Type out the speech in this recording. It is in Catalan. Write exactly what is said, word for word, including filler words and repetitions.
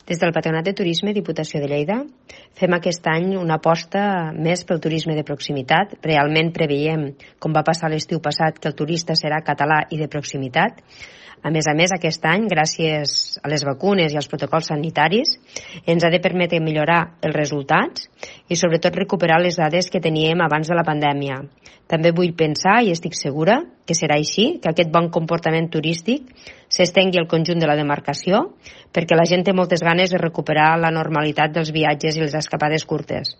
Des del Patronat de Turisme Diputació de Lleida fem aquest any una aposta més pel turisme de proximitat. Realment preveiem, com va passar l'estiu passat, que el turista serà català i de proximitat. A més a més, aquest any, gràcies a les vacunes i als protocols sanitaris, ens ha de permetre millorar els resultats i sobretot recuperar les dades que teníem abans de la pandèmia. També vull pensar, i estic segura, que serà així, que aquest bon comportament turístic s'estengui al conjunt de la demarcació, perquè la gent té moltes ganes de recuperar la normalitat dels viatges i les escapades curtes.